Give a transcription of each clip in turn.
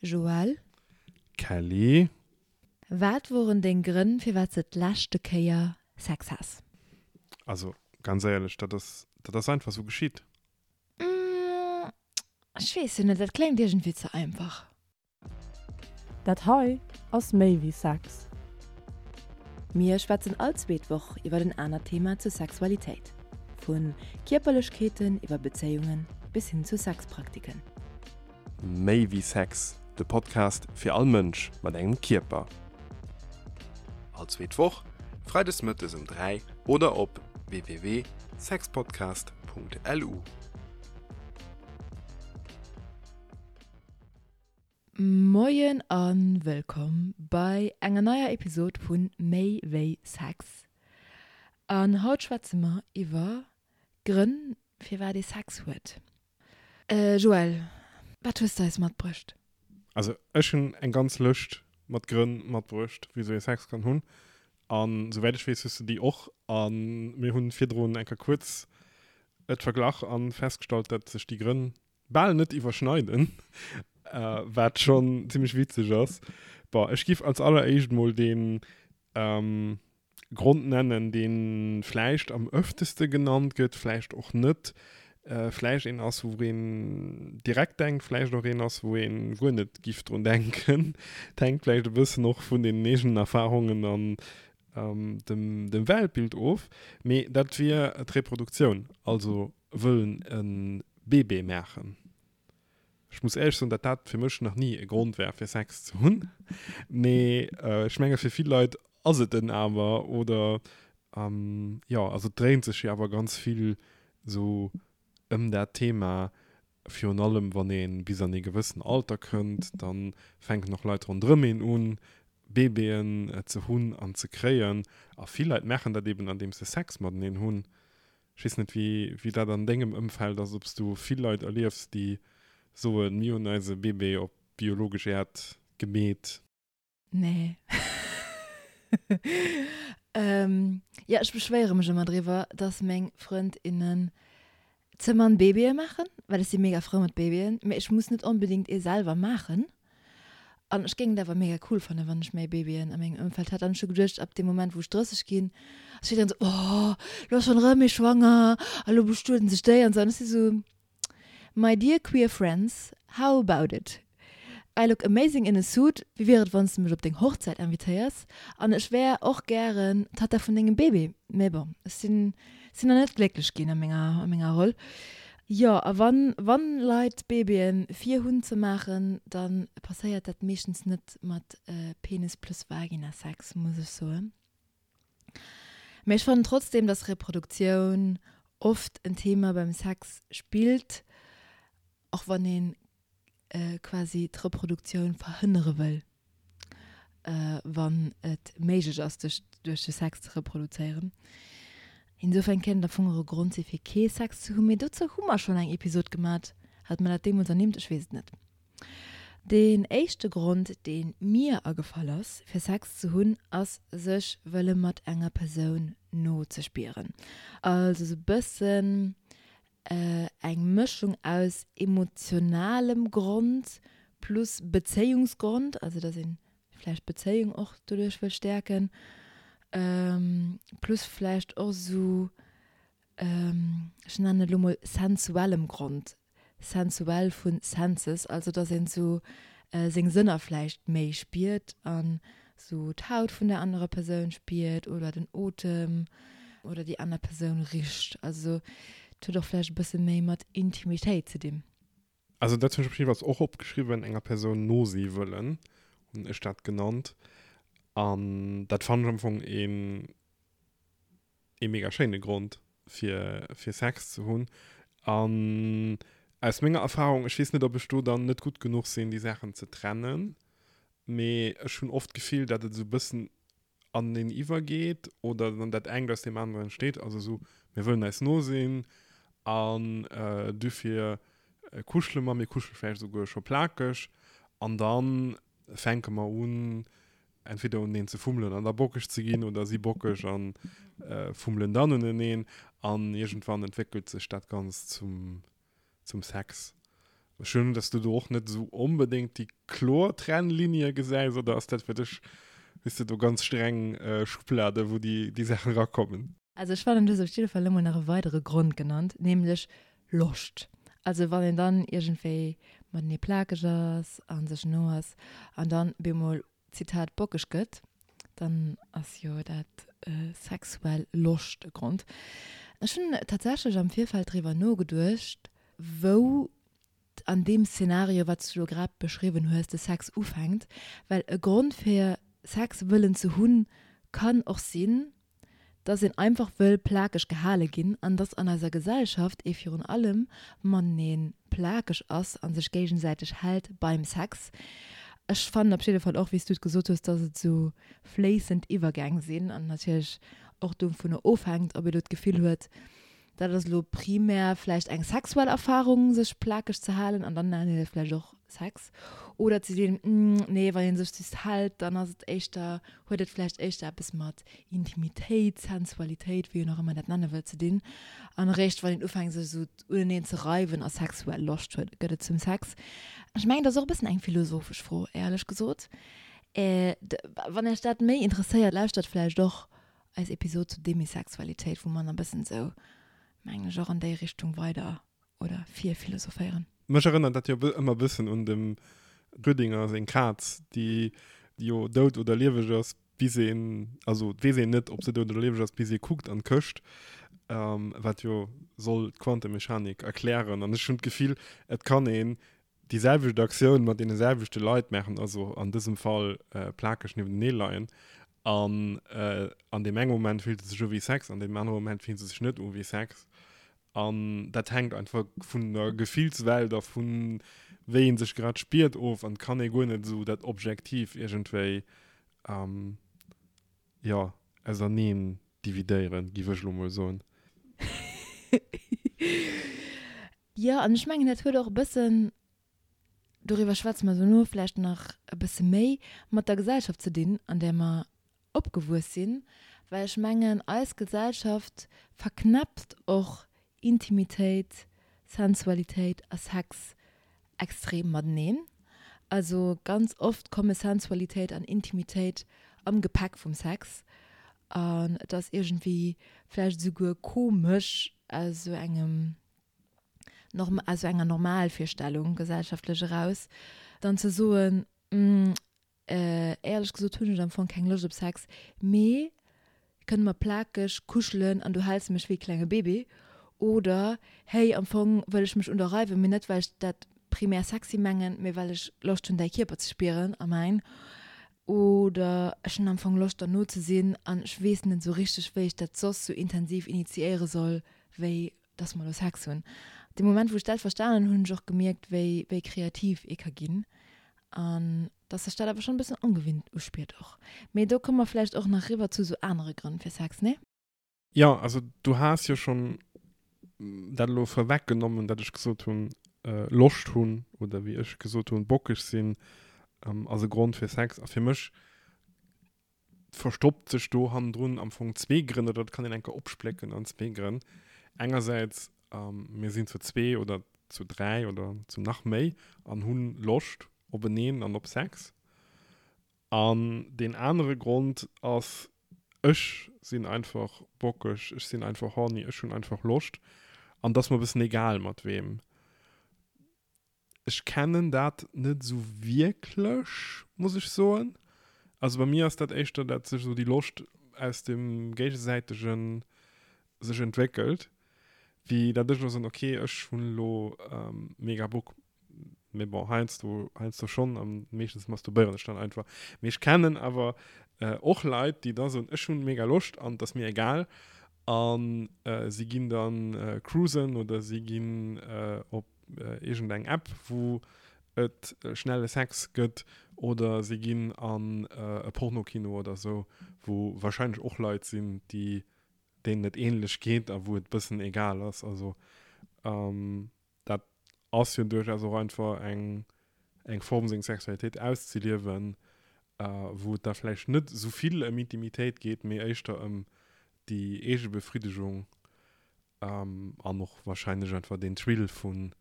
Joël. Kelly. Wat woren deng Grënn firwat s de d'leschte Kéier Sex has? Also ganz éierlech, dat ass, dat ass einfach sou geschitt. Ech weess jo net, dat kléngt iergendwéi ze einfach. Dat hei ass méi wéi Sex. Mir schwätzen all zweet Woch iwwer en anert Thema zur Sexualitéit. Vu Kierperlechkeeten iwwer Bezéiungen bis hin zu Sexpraktiken. Méi wéi Sex, de Podcast fir all Mënsch mat engem Kierper. All zweet Woch, freides mëttes um 3 oder op www.sexpodcast.lu. Moien a wëllkomm bei enger neier Episod vu Méi wéi Sex. An haut schwätze mer iwwer Grënn firwat ee Sex huet. Joël, wat hues de eis matbruecht? Also ech hunn eng ganz Lëscht mat Grënn matbruecht, wisou ee Sex kann hunn. An souwäit ech weess, hues de déi och. A mir hunn virdrun eng Kéier kuerz et verglach a festgestallt, dat sech déi Grënn bal net iwwerschneiden, wat schonn zimmlech witzeg ass. Bon, ech giff als alleréischt mol deen Grond nennen, dee vläicht am ëfteste genannt gëtt, vläicht och net, vläicht een ass, wou een direkt denkt, vläicht och een ass, wou ee guer net giff drun denken. Et hänkt vläicht e bëssen och vun den eegenen Erfarungen an dem, dem Weltbild of. Mee dat wier d'Reproduktioun, also wëllen e Bébé maachen. Ech muss éierlech soen, datt dat fir mech nach ni e Grond war, fir Sex ze hunn. Mee ech menge fir vill Leit ass et en awer. Oder jo, also et dréint sech jo awer ganz vill esou ëm dat Thema. Virun allem wann ee bis an ee gewëssen Alter kënnt, da fänken och Leit ronderëm een un, Baby'en ze hunn an ze kréien. A vill Leit maachen dat eben, andeems se Sex mateneen hunn. Ech weess net, wéi dat an dengem Ëmfeld ass, ob s du vill Leit erliefs, déi soen, mir hunn eise Bébé op biologesch Äerd gemeet. Nee. Jo, ech beschwéiere mech ëmmer driwwer, dass meng Frënd, innen ze mann Babye maachen, well ech si mega frou mat Babyen, mee ech muss net onbedéngt ee selwer maachen. An ech géing et awer mega cool fannen, wann ech méi Babyen a mengem Ëmfeld hätt. An ech hu geduecht, ab deem Moment, wou ech 30 ginn, ass jiddereen esou, Oh, lo ass schonn erëm ee schwanger a lo bestueden sech déi an esou. An ech si esou, My dear queer friends, how about it? I look amazing in a suit, wéi wier et, wann s de mech op deng Hochzäit invitéiers? An ech wär och gären d'Tatta vun dengem Baby. Mee bon, ech sinn sinn nach net glécklech ginn a menger, a menger Roll. Jo, a wann, wann Leit Babyen fir hunn ze maachen, dann passéiert dat meeschtens net mat Penis plus Vagina Sex, muss ech soen. Mee ech fannen trotzdem, dass Reproduktioun oft en Thema beim Sex spillt, och wann een quasi d'Reproduktioun verhënnere wëll, wann et méiglech ass, sech duerch de Sex ze reproduzéieren. Insofern kéint et am Fong och e Grond si fir kee Sex ze hunn, mee dozou hu mer schonn eng Episod gemat. Hat mer dat deemools ernimmt? Ech weess et net. Deen éischte Grond, dee mir agefall ass, fir Sex ze hunn, ass sech wëlle mat enger Persoun no ze spieren. Also sou bëssen eng Mëschung aus emotionalem Grond plus Bezéiungsgrond, also dass een vläicht d'Bezéiung och doduerch wëll stäerken, plus vläicht och esou, ech nennen et elo mol sensuellem Grond, sensuell vu senses, also dass een esou seng Sënner vläicht méi spiert an sou d'Haut vun der anerer Persoun spiert oder den Otem oder déi aner Persoun richt. Also et huet och vläicht e bësse méi mat Intimitéit ze dinn. Also dat hunn ech op jiddefalls och opgeschriwwen, enger Persoun no si wëllen, hunn ech dat genannt. An dat fannen ech am Fong een ee mega schéine Grond fir fir Sex ze hunn. An aus menger Erfahrung, ech weess net ob ech do dann net gutt genuch sinn déi Saachen ze trennen, mee ech hunn oft d'Gefill dat et esou bëssen aneneen iwwergeet oder dann dat engt aus deem aneren entsteet. Also esou mir wëllen eis no sinn an dofir kuschele mer, mir kuschele vläicht esouguer scho plakeg an dann fänke mer un entweder uneneen ze fummelen an da bockeg ze ginn oder si bockeg an fummelen dann uneneen an iergendwann entwéckelt sech dat Ganzt zum, zum Sex. Ech hunn, dass du do och net esou onbedéngt déi kloer Trennlinie gesäis, oder ass dat fir dech, hues de do ganz streng Schubladen, wou déi, déi Saachen erakommen? Also ech fannen, du hues op jidde Fall elo mol nach e weidere Grond genannt, nämlech Loscht. Also wann een dann iergendwéi matenee plakeg ass a sech no ass an dann bemol, Zitat, bockeg gëtt, dann ass jo dat sexuell Loscht e Grond. Ech hunn tatsächlech am Virfeld driwwer nogeduecht, wou an deem Szenario, wat s du elo grad beschriwwen hues, de Sex ufänkt. Well e Grond fir Sex wëllen ze hunn, kann och sinn, dass een einfach wëll plakeg gehale ginn an dass an eiser Gesellschaft ee virun allem matenee plakeg ass a sech géigesäiteg hält beim Sex. Ech fannen op jidde Fall och, wéi s du et gesot hues, dass et esou fléissend Iwwergäng sinn an natierlech och dovunner ofhänkt, ob ee lo d'Gefill huet, dat ass elo primär vläicht eng sexuell Erfarung, sech plakeg ze halen an dann nennen een dat vläicht och Sex. Oder ze sinn, nee, wann ee sech just hält, dann ass et éischter, huet et vläicht éischter eppes mat Intimitéit, Sensualitéit, wéi een och ëmmer dat nenne wëllt, ze dinn. An eréischt wann een ufänkt, sech esou uneneen ze reiwen a sexuell Loscht huet, gëtt et zum Sex. Ech mengen, dat ass och e bëssen eng philosophesch Fro, éierlech gesot. Wann Iech dat méi interesséiert, lauschtert vläicht och eis Episod zu Demisexualitéit, wou mer nach e bëssen esou, mengen ech, och an déi Richtung weider oder virphilosophéieren. Mech erënnert dat jo ëmmer e bëssen un dem Rüdinger seng Kaz, déi jo dout oder lieweg ass, bis een, also et weess een net, ob se dout oder lieweg ass, bis ee kuckt an d'Këscht, wat jo soll d'Quantemechanik erklären. An ech hunn d'Gefill, et kann een déi selwecht Aktioun mat deene selwechte Leit maachen, also an dësem Fall plakeg niewentenee leien, an an deem enge Moment fillt et sech u wéi Sex, an deem anere Moment fillt et sech net u wéi Sex. An dat hänkt einfach vun der Gefillswelt a vun wéi ee sech grad spiert of an et kann ee guer net esou dat objektiv iergendwéi, jo, auserneen dividéieren, giff ech elo mol soen. Jo, an ech mengen, dat huet och e bëssen, doriwwer schwätze mer dono vläicht nach e bësse méi, mat der Gesellschaft ze dinn, an där mer opgewuess sinn, well ech mengen, eis Gesellschaft verknäppt och Intimitéit, Sensualitéit a Sex extrem mateneen. Also ganz oft komme Sensualitéit an Intimitéit am Gepäck vum Sex an et ass iergendwéi vläicht esouguer komesch aus esou engem, aus esou enger Normalvirstellung gesellschaftlech eraus dann ze soen, Éierlech gesot hunn ech am Fong keng Loscht op Sex, mee kënne mer plakeg kuschelen an du häls mech wéi e klenge Bébé? Oder hey, am Fong wëll ech mech un der reiwen, mee net well ech dat primär sexy mengen, mee well ech Loscht hunn däi Kierper ze spieren a mäin. Oder ech hunn am Fong Loscht der no ze sinn an ech weess net esou richteg wéi ech dat soss sou intensiv initiéiere soll wéi dass mer elo Sex hunn. Dee Moment wou ech dat verstanen hunn, hunn ech och gemierkt wéi wéi kreativ ee ka ginn an dass sech dat awer schonn e bëssen ongewinnt uspiert och. Mee do komme mer vläicht och nach riwwer zu sou anere Grënn fir Sex, nee? Jo, also du has jo schonn dat elo vorweg genommen, dat ech gesot hunn, Loscht hunn oder wéi ech gesot hunn, bockeg sinn ass e Grond fir Sex. A fir mech verstoppt sech do hannendrun am Fong zwee Grënn, oder dat kann een enker opsplécken an zwee Grënn. Engersäits, mir sinn zu zwee oder zu dräi oder zu nach méi an hunn Loscht openeen an op Sex. An deen anere Grond ass, ech sinn einfach bockeg, ech sinn einfach horny, ech hunn einfach Loscht an et ass mer e bëssen egal mat weem. Ech kennen dat net esou wierklech, muss ech soen. Also bei mir ass dat éischter, dat sech esou déi Loscht aus dem géigesäitegen sech entwéckelt, wéi dat ech elo soen, okay, ech hunn elo mega Bock. Mee bon, heiansdo, heiansdo schonn, a meeschtens masturbéieren ech dann einfach. Mee ech kennen awer och Leit, déi da soen, ech hunn mega Loscht an et ass mir egal. A si ginn dann cruisen oder si ginn op iergendeng App, wou et schnelle Sex gëtt, oder si ginn an e Pornokino oder esou, wou warscheinlech och Leit sinn, déi deenen et ähnlech geet a wou et bëssen egal ass. Also dat ass jo duerchaus och einfach eng eng Form seng Sexualitéit auszeliewen, wou et da vläicht net esou vill ëm Intimitéit geet, mee éischter ëm déi eege Befriddegung an och wahrscheinlech einfach deen Thrill vun.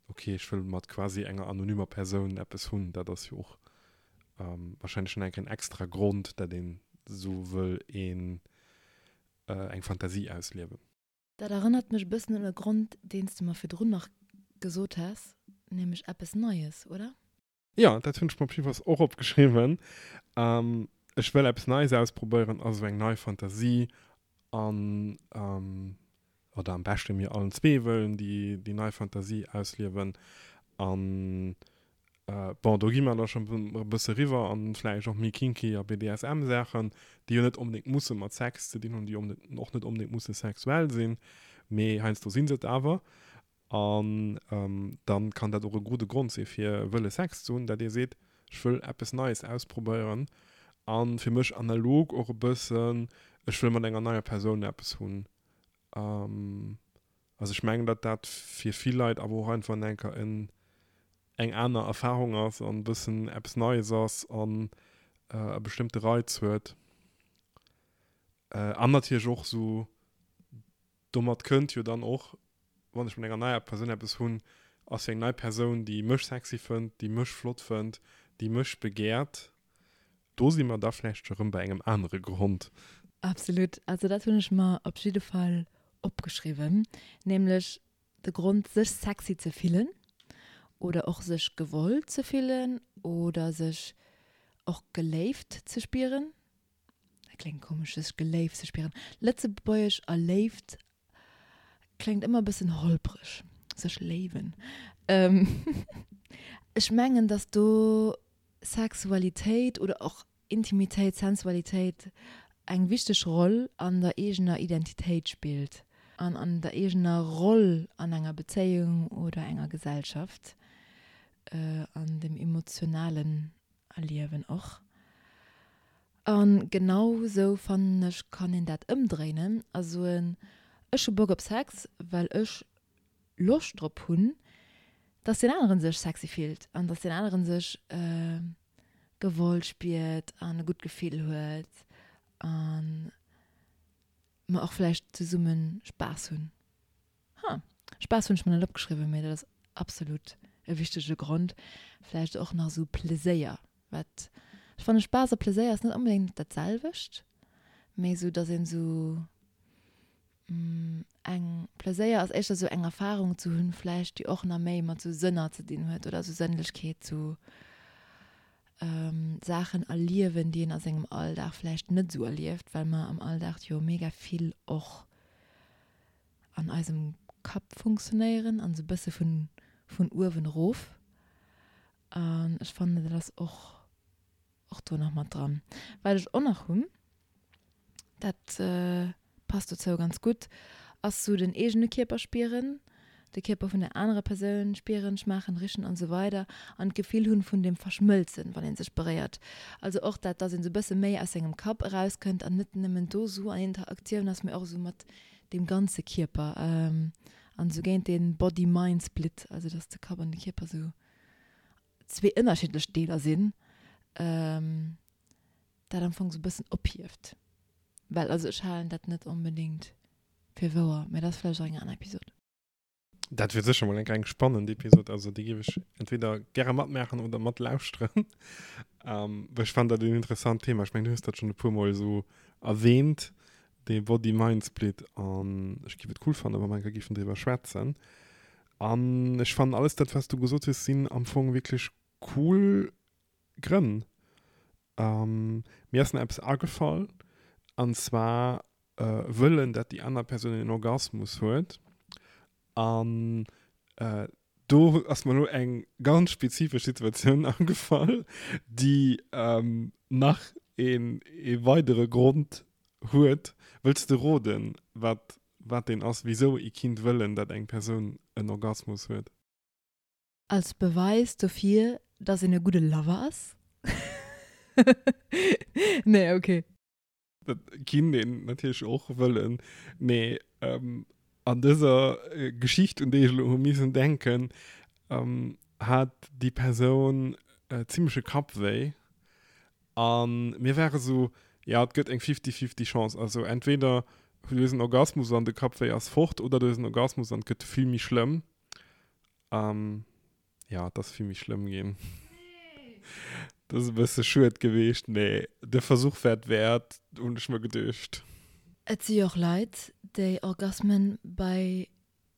Ok, ech wëll mat quasi enger anonymer Persoun eppes hunn. Dat ass jo och wahrscheinlech nach enk en extra Grond, dat een esou wëll een eng Fantasie ausliewen. Dat erënnert mech e bëssen un e Grond, deen s de mer virdrun nach gesot has, nämlech eppes Neies, oder? Jo, dat hunn ech mer op jiddefalls och opgeschriwwen. Ech wëll eppes Neies ausprobéieren, also eng nei Fantasie an, oder am beschte mir allen zwee wëllen déi, déi nei Fantasie ausliewen. An bon, do gi mer da schonn e bësse riwwer an vläicht och méi kinky a BDSM-Saachen, déi jo net onbedéngt musse mat Sex ze dinn hunn, déi och net onbedéngt musse sexuell sinn, mee heiansdo si se et awer. An dann kann dat och e gudde Grond si fir wëlle Sex ze hunn, dat ee seet, ech wëll eppes Neies ausprobéieren an fir mech analog och e bëssen, ech wëll mat enger neier Persoun eppes hunn. Also ech mengen, datt dat fir vill Leit awer och einfach enker en eng aner Erfahrung ass an e bëssen eppes Neies ass an e bestëmmte Reiz huet. An natierlech och esou Domat kënnt jo dann och, wann ech mat enger neier Persoun eppes hunn, ass jo eng nei Persoun, déi mech sexy fënnt, déi mech flott fënnt, déi mech begäert. Do si mer da vläicht scho rëm bei engem anere Grond. Absolut. Also dat hunn ech mer op jidde Fall opgeschriwwen, nämlech de Grond sech sexy ze fillen oder och sech gewollt ze fillen oder sech och geléift ze spieren. Dat kléngt komesch, sech geléift ze spieren. Lëtzebuergesch a Léift kléngt ëmmer e bëssen holpreg. Sech léiwen. Ech mengen, datt do Sexualitéit oder och Intimitéit, Sensualitéit eng wichteg Roll an der eegener Identitéit spillt an an der eegener Roll an enger Bezéiung oder enger Gesellschaft, an dem emotionalen Erliewen och. A genau sou fannen ech kann een dat ëmdréinen a soen, ech hu Bock op Sex, well ech Loscht drop hunn, dass deen aneren sech sexy fillt an dass deen aneren sech gewollt spiert an e gutt Gefill huet a mer och vläicht zesumme Spaass hunn. Ha, Spaass hunn ech mer net opgeschriwwen, mee dat ass absolut e wichtege Grond. Vläicht och nach esou Pleséier, wat ech fannen, Spaass a Pleséier ass net onbedéngt dat selwecht, mee esou, dass een esou eng, Pleséier ass éischter esou eng Erfarung ze hunn vläicht, déi och nach méi mat esou Sënner ze dinn huet oder esou Sënnlechkeet, esou Saachen erliewen, déi een a sengem Alldag vläicht net esou erlieft, well mer am Alldag jo mega vill och an eisem Kapp funktionéieren an esou bësse vun vun uewen erof. An ech fannen dat ass och och do nach mat dran. Wat ech och nach hunn, dat passt dozou ganz gutt, ass sou den eegene Kierper spieren, de Kierper vun der anerer Persoun spieren, schmaachen, richen an esou weider an d'Gefill hunn vun dem Verschmëlzen, wann ee sech beréiert. Also och dat, dass een sou bësse méi aus sengem Kapp erauskënnt an net nëmmen do sou an Interaktioun ass, mee och sou mat deem ganze Kierper an esou géint dee Body-Mind-Split, also dass de Kapp an de Kierper esou zwee ënnerschiddlech Deeler sinn, dat am Fong esou e bëssen ophieft. Well also ech halen dat net onbedéngt fir wouer, mä dat ass vläicht och eng aner Episod. Dat wier sécher mol eng eng spannend Episod, also déi géif ech entweder gäre matmaachen oder matlauschteren. Ähm, well ech fannen dat en interessant Thema. Ech mengen, du hues dat schonn e puermol esou erwähnt, dee Body-Mind-Split, an ech géif et cool fannen, wa mer eng Kéier géifen driwwer schwätzen. An ech fannen alles dat, wat s du gesot hues, sinn am Fong wierklech cool Grënn. Ähm, mir ass nach eppes agefall, an zwar wëllen, dat déi aner Persoun en Orgasmus huet. An do ass mer elo eng ganz spezifesch Situatioun agefall, déi nach een ee weidere Grond huet. Wëlls de roden, wat wat deen ass, wisou ee kinnt wëllen, dat eng Persoun en Orgasmus huet? Als Beweis dofir, dass een e gudde Lover ass? Nee, okay. Dat kinnt een natierlech och wëllen, mee an dëser Geschicht, un déi ech elo hu missen denken, hat déi Persoun zimmleche Kappwéi a mir ware sou, jo, et gëtt eng fifty-fifty Chance, also entweder du hues en Orgasmus an de Kappwéi ass fort oder du hues en Orgasmus an et gëtt vill méi schlëmm. An jo, et ass vill méi schlëmm ginn. Dat ass e bësse schued geweecht, mee de Versuch war et wäert, hunn ech mer geduecht. Et si jo och Leit, déi Orgasmen bei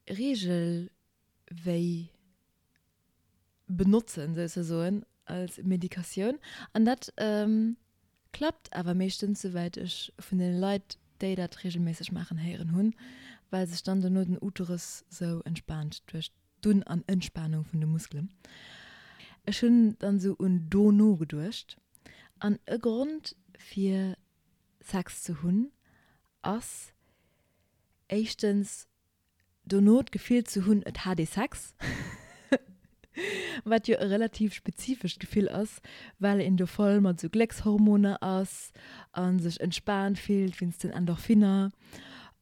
Reegelwéi benotzen, souzesoen, als Medikatioun. An dat klappt awer meeschtens, souwäit ech vun deene Leit, déi dat reegelméisseg maachen, héieren hunn, well sech dann dono den Uterus sou entspaant duerch d'Un an Entspanung vun de Muskelen. Ech hunn dann sou un dono geduecht. An e Grond fir Sex ze hunn ass éischtens dono d'Gefill ze hunn, et hat ee Sex, wat jo e relativ spezifescht Gefill ass, well een do voll mat esou Gléckshormoner ass a sech entspaant fillt wéinst den Endorphiner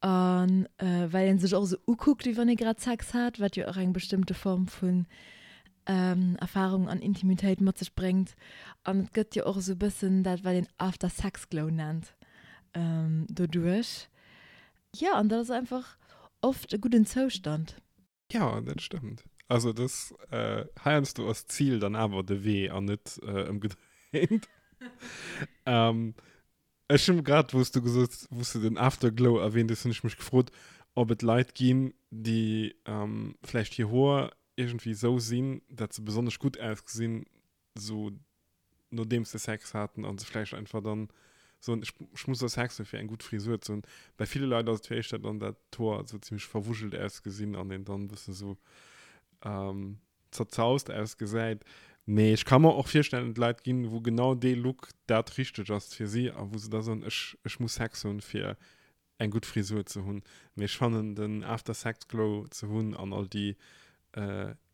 a well ee sech och esou ukuckt, wéi wann ee grad Sex hat, wat jo och eng bestëmmte Form vun Erfarung an Intimitéit mat sech bréngt. An et gëtt jo och esou e bëssen dat, wat een After-Sex-Glow nennt, doduerch. Jo, an dat ass einfach oft e gudden Zoustand. Jo, dat stëmmt. Also dass heiansdo ass d'Zil dann awer de Wee an net ëmgedréint. Ech hunn grad, wou s du gesot, wou s du den Afterglow erwähnt hues, hunn ech mech gefrot, ob et Leit ginn, déi vläicht hir Hoer iergendwéi esou sinn, dat se besonnesch gutt ausgesinn, sou nodeems se Sex haten a se vläicht einfach dann soen, ech, ech muss da Sex hunn, fir eng gutt Frisur ze hunn. Bei ville Leit ass et jo éischter dann, dat d'Hoer esou zimmlech verwuschelt ausgesinn an een dann e bëssen esou zerzaust ausgesäit. Mee ech ka mer och virstellen, et Leit ginn, wou genau dee Look dat Richtegt ass fir si a wou se da soen, ech, ech muss Sex hunn, fir eng gutt Frisur ze hunn. Mee ech fannen den After Sex Glow ze hunn an all déi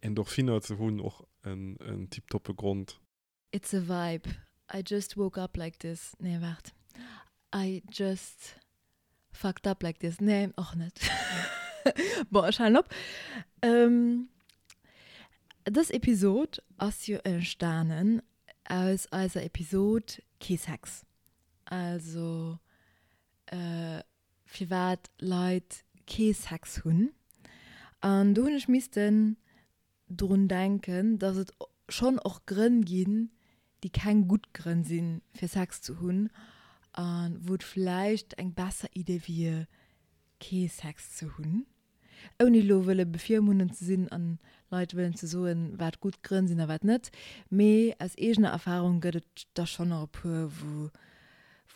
Endorphiner ze hunn och en tiptoppe Grond. It's a vibe, I just woke up like this, nee waart, I just fucked up like this, nee och net. Bon, ech halen op. Dës Episod ass jo entstanen aus eiser Episod Kee Sex. Also firwat Leit kee Sex hunn. An do hunn ech missten drun denken, dass et schonn och Grënn ginn, déi keng gutt Grënn sinn, fir Sex ze hunn a wou et vläicht eng besser Idee wier, kee Sex ze hunn. Ouni elo wëlle bevirmundend ze sinn an Leit wëllen ze soen, wat gutt Grënn sinn a wat net, mee aus eegener Erfahrung gëtt et der schonn nach e puer, wou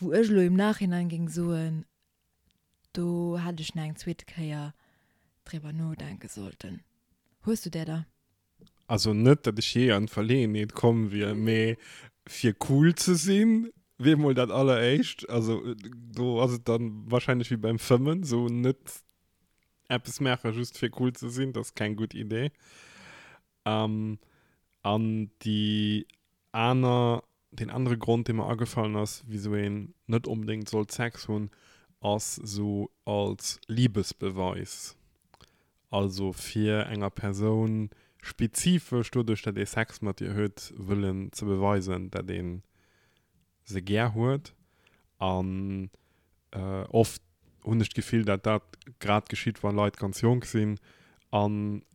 wou ech elo im Nachhinein géing soen, do hätt ech nach eng zweete Kéier driwwer nodenke sollten. Hues du där der? Also net, datt ech jee an d'Verleeënheet komm wier, mee fir cool ze sinn, wier mol dat alleréischt. Also do ass et dann wahrscheinlech wéi beim Fëmmen, sou net eppes maache just fir cool ze sinn, dat ass keng gutt Idee. An déi aner, deen anere Grond, dee mer agefallen ass, wisou een net onbedéngt sollt Sex hunn, ass sou als Liebesbeweis. Also fir enger Persoun spezifesch doduerch, dat ee Sex mat ihr huet, wëllen ze beweisen, dat ee se gär huet. An oft hunn ech d'Gefill, dat dat grad geschitt, wa Leit ganz jonk sinn a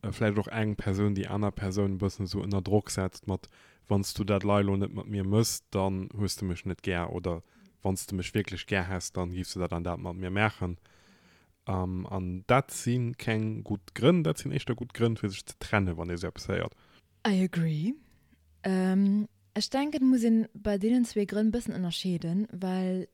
vläicht och eng Persoun déi aner Persoun e bëssen esou ënner Drock setzt mat, Wann s du dat lei elo net mat mir mëss, dann hues de mech net gär oder Wann s de mech wierklech gär häss, dann giffs de dat an dat mat mir maachen. An dat si keng gutt Grënn, dat sinn éischter gutt Grënn, fir sech ze trennen, wann ee sou eppes héiert. I agree. Ech denken, et muss een bei deenen zwee Grënn bëssen ënnerscheeden, well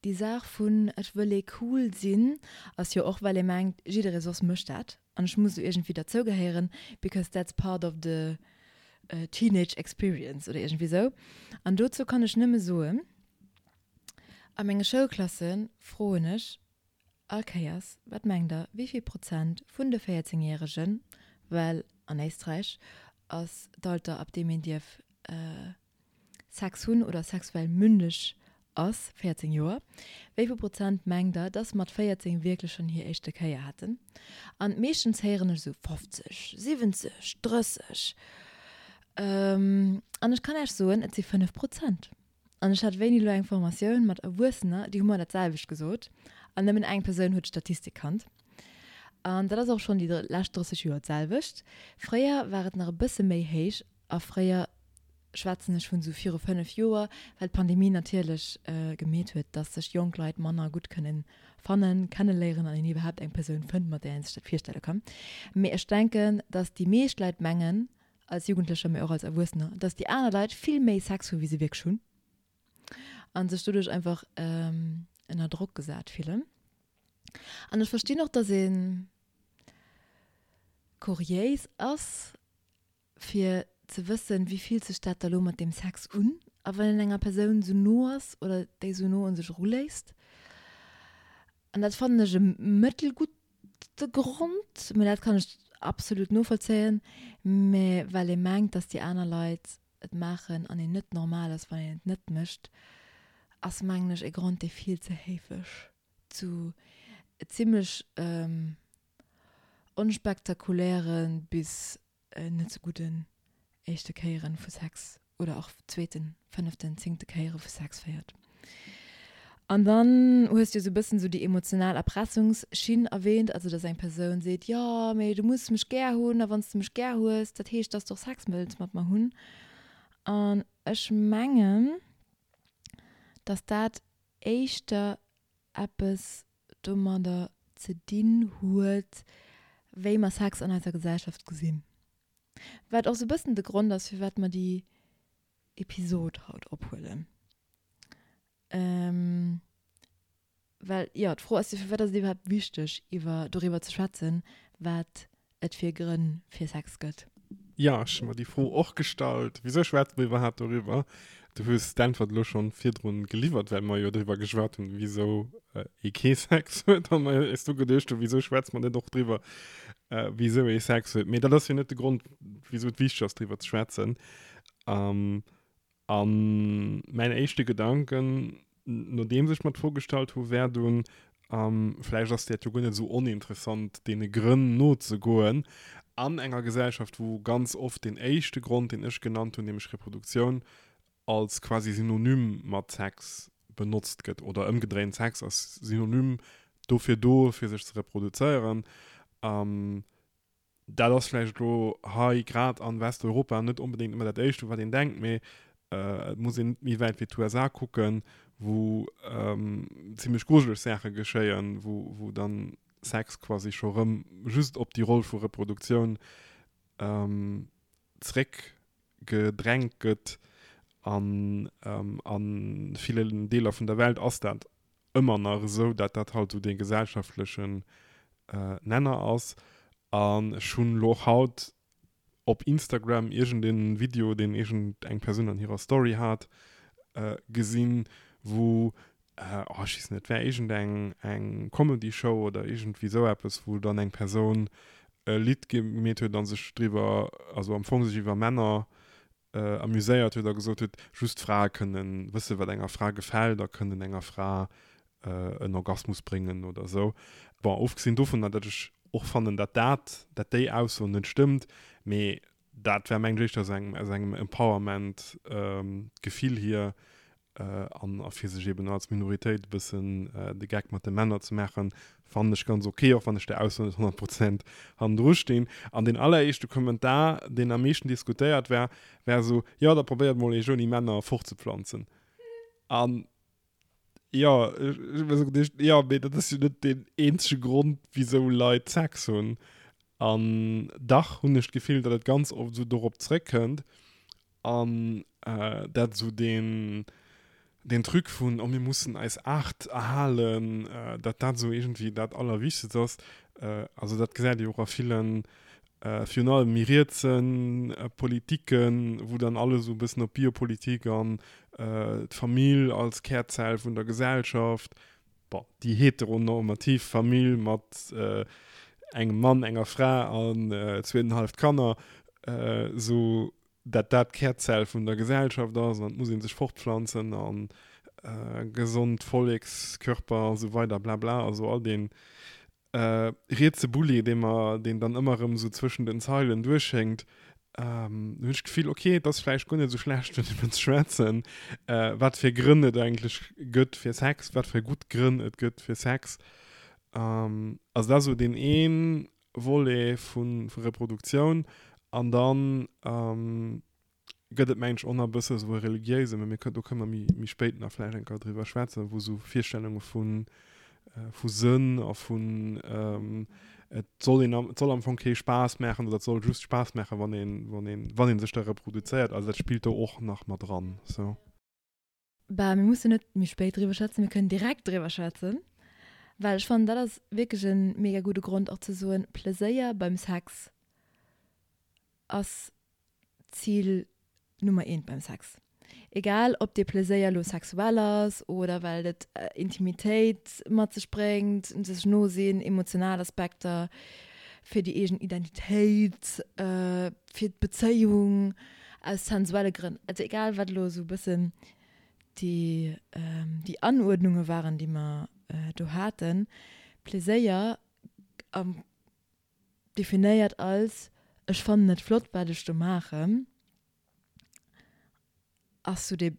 déi Saach vun ech wëll ee cool sinn ass jo och well ee mengt, jidderee soss mécht dat an ech muss do iergendwéi derzougehéieren, because that's part of the teenage experience oder iergendwéi sou. An dozou kann ech nëmme soen, a menge Schoulklasse froen ech All Kéiers, wat mengt der, wéi vill Prozent vun de 14 Järegen, well an Éisträich ass d'Alter ab deem een dierf Sex hunn oder sexuell mündeg ass 14 Joer, wéi vill Prozent mengt der, dass mat 14 wierklech schonn hir éischte Kéier haten? An meeschtens héieren ech esou 50, 70, 30. An ech kann Äech soen, et si 5 Prozent. An ech hat wéini elo eng Formatioun mat Erwuessener, déi hu mer dat selwecht gesot. An nëmmen eng Persoun huet d'Statistik kannt. An dat ass och schonn déi lescht 30 Joer d'selwecht. Fréier war et nach e bësse méi héich a fréier schwätzen ech vun esou viru 5 Joer, well d'Pandemie natierlech gemeet huet, dass sech jonk Leit manner gutt kënnen fannen, kenneléieren an een iwwerhaapt eng Persoun fënnt, mat där een sech dat virstelle kann. Mee ech denken, dass déi meescht Leit mengen, als Jugendlecher, mee och als Erwuessener, dass déi aner Leit vill méi Sex hu wéi se wierklech hunn a sech doduerch einfach ënner Drock gesat fillen. An ech verstinn och, dass ee kuriéis ass, fir ze wëssen, wéi fillt sech dat da lo mat deem Sex un a wann een enger Persoun sou no ass oder déi sou no un sech eruléisst. An dat fannen ech e mëttelgudde Grond, mä dat kann ech absolut novollzéien, mä well ee mengt, dass déi aner Leit et maachen an een net normal ass, wann een et net mécht, ass mengen ech e Grond, dee vill ze héifeg zu zimlech onspektakuläre bis net sou gudden éischte Kéieren vu Sex oder och zweeten, fënneften, zéngte Kéiere vu Sex féiert. An dann hues du jo sou e bëssen sou déi emotional Erpressungsschinn erwähnt, also dass eng Persoun seet, jo mee du muss mech gär hunn a wann s de mech gär hues, dat heescht, dass de och Sex wëlls mat mer hunn. An ech mengen, dass dat éischter eppes domadder ze dinn huet, wéi mer Sex an eiser Gesellschaft gesinn. Wat och sou e bëssen de Grond ass, firwat mer déi Episod haut ophuelen. Well, jo, d'Fro ass jo, firwat ass et iwwerhaapt wichteg, iwwer, doriwwer ze schwätzen, wat et fir Grënn fir Sex gëtt? Jo, ech hu mer déi Fro och gestallt. Wisou schwätze mer iwwerhaapt doriwwer? Du hues d'Äntwert elo schonn virdrun geliwwert, well mer jo driwwer geschwat hunn, wisou ee kee Sex huet a mer eis du geduecht hunn, wisou schwätze mer net och driwwer, wisou ee Sex huet. Mee dat ass jo net de Grond, wisou et wichteg ass, driwwer ze schwätzen. A mäin éischte Gedanken, nodeems ech mer d'Fro gestallt hu, wär dunn, vläicht ass dat jo guer net esou oninteressant, deene Grënn nozegoen an enger Gesellschaft, wou ganz oft deen éischte Grond, deen ech genannt hunn, nämlech Reproduktioun, als quasi Synonym mat Sex benotzt gëtt, oder ëmgedréint, Sex ass Synonym dofir do, fir sech ze reproduzéieren. Dat ass vläicht elo hei grad an Westeuropa net onbedéngt ëmmer dat Éischt, u wat een denkt, mee et muss een net méi wäit wéi d'USA kucken, wou zimlech grujeleg Saache geschéien, wou, wou dann Sex quasi scho rëm just op déi Roll vu Reproduktioun zréckgedrängt gëtt. An a villen Deeler vun der Welt ass dat ëmmer nach esou, dat dat halt esou dee gesellschaftlechen Nenner ass. An ech hunn elo och haut op Instagram iergendeen Video, deen iergend eng Persoun an hirer Story hat, gesinn, wou, oh ech weess net, et war iergend eng eng Comedy Show oder iergendwéi esou eppes, wou dann eng Persoun e Lidd gemeet huet a sech driwwer, also am Fong sech iwwer Männer amuséiert huet a gesot huet, just Frae kënnen wëssen, wat enger Fra gefält a kënnen enger Fra en Orgasmus bréngen oder esou. Bon, ofgesinn dovunner, datt ech och fannen, datt dat, datt déi Ausso net stëmmt, mee dat war mengen ech éischter aus engem, aus engem Empowerment-Gefill hier, An a fir sech eben als Minoritéit e bëssen de Geck mat de Männer ze maachen, fannen ech ganz ok, och wann ech der Ausso net 100 Prozent hannendru stinn. An deen alleréischte Kommentar, deen am meeschten diskutéiert war, war esou, Jo, da probéiert mol eech ouni Männer fortzepflanzen. An jo, ech hu mir esou geduecht, jo, mee dat ass jo net deen eenzege Grond, wisou Leit Sex hunn. An dach hunn ech d'Gefill, datt et ganz oft esou dorop zréckkënnt. An dat esou deen, deen Truc vun, oh mir mussen eis Aart erhalen, dat dat esou iergendwéi dat Allerwichtegst ass. Also dat gesäit ee jo och a villen, virun allem méi rietse Politiken, wou dann alles esou e bëssen op Biopolitik an d'Famill als Kärzell vun der Gesellschaft, bon, déi heteronormativ Famill mat engem Mann, enger Fra an zweenenhalleft Kanner, esou dat dat d'Kärzell vun der Gesellschaft ass an et muss ee sech fortpflanzen an gesond Vollekskörper a sou weider blabla, also all dee rietse Bulli, dee mer, deen dann ëmmer erëm esou zwëschen den Zeilen duerchschéngt, hunn ech d'Gefill, ok, et ass vläicht guer net esou schlecht doriwwer ze schwätzen, wat fir Grënn et eigentlech gëtt fir Sex, wat fir gutt Grënn et gëtt fir Sex. Also dat ass esou deen ee Volet vu Reproduktioun. An dann gëtt et mengen ech och nach e bësse esou e religiéise, mä mir kënnen, do kënne mer méi, méi spéit nach vläicht eng Kéier driwwer schwätzen, wou esou Virstellunge vu, vu Sënn a vun et soll een am, et soll am Fong kee Spaass maachen oder et soll just Spaass maachen, wann een, wann een, wann ee sech da reproduzéiert. Also dat spillt do och nach mat dran esou. Bah, mir mussen net méi spéit driwwer schwätzen, mir kënnen direkt driwwer schwätzen, well ech fannen, dat ass wierklech e mega gudde Grond och ze soen, Pleséier beim Sex ass Zil Nummer eent beim Sex. Egal ob dee Pleséier elo sexuell ass oder well et Intimitéit mat sech bréngt, sech no sinn, emotional Aspekter, fir déi eegen Identitéit, fir d'Bezéiung, aus sensuelle Grënn. Also egal wat elo esou e bëssen déi déi Anuerdnunge waren, déi mer do haten, Pleséier am definéiert als ech fannen et flott wat ech do maachen, ass sou dee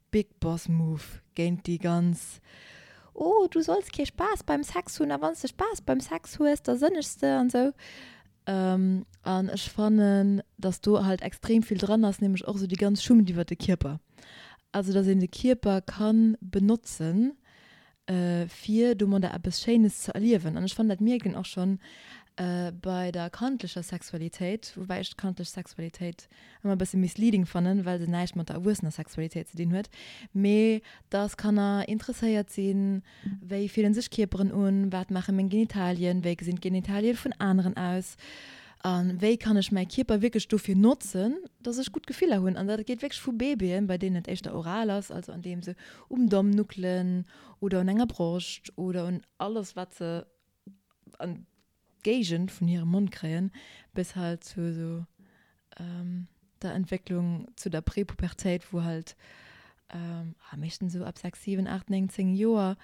Big Boss Move géint déi ganz oh du solls kee Spaass beim Sex hunn a wann s de Spaass beim Sex hues da sënnegs de an sou. An ech fannen dass do halt extrem vill dran ass, nämlech och sou déi ganz Schummt iwwert de Kierper, also dass een de Kierper kann benotzen fir domadder eppes Schéines ze erliewen. An ech fannen, dat mierkt een och schonn bei der kandlecher Sexualitéit, woubäi ech d'kandlech Sexualitéit ëmmer e bësse misleading fannen, well se näischt mat der erwuessener Sexualitéit ze dinn huet, mee dass Kanner interesséiert sinn, wéi fillen sech Kierperen un, wat maache meng Genitalien, wéi gesinn d'Genitalie vun aneren aus a wéi kann ech mäi Kierper wierklech dofir notzen, dass ech gutt Gefiller hunn. An dat geet wierklech vu Babyen, bei deenen et éischter oral ass, also andeem se um Domm nuckelen oder un enger Broscht oder un alles wat se an d'Géigend vun hirem Mond kréien, bis halt zu esou der Entwécklung zu der Prepubertéit, wou halt meeschtens esou ab 6, 7, 8, 9, 10 Joer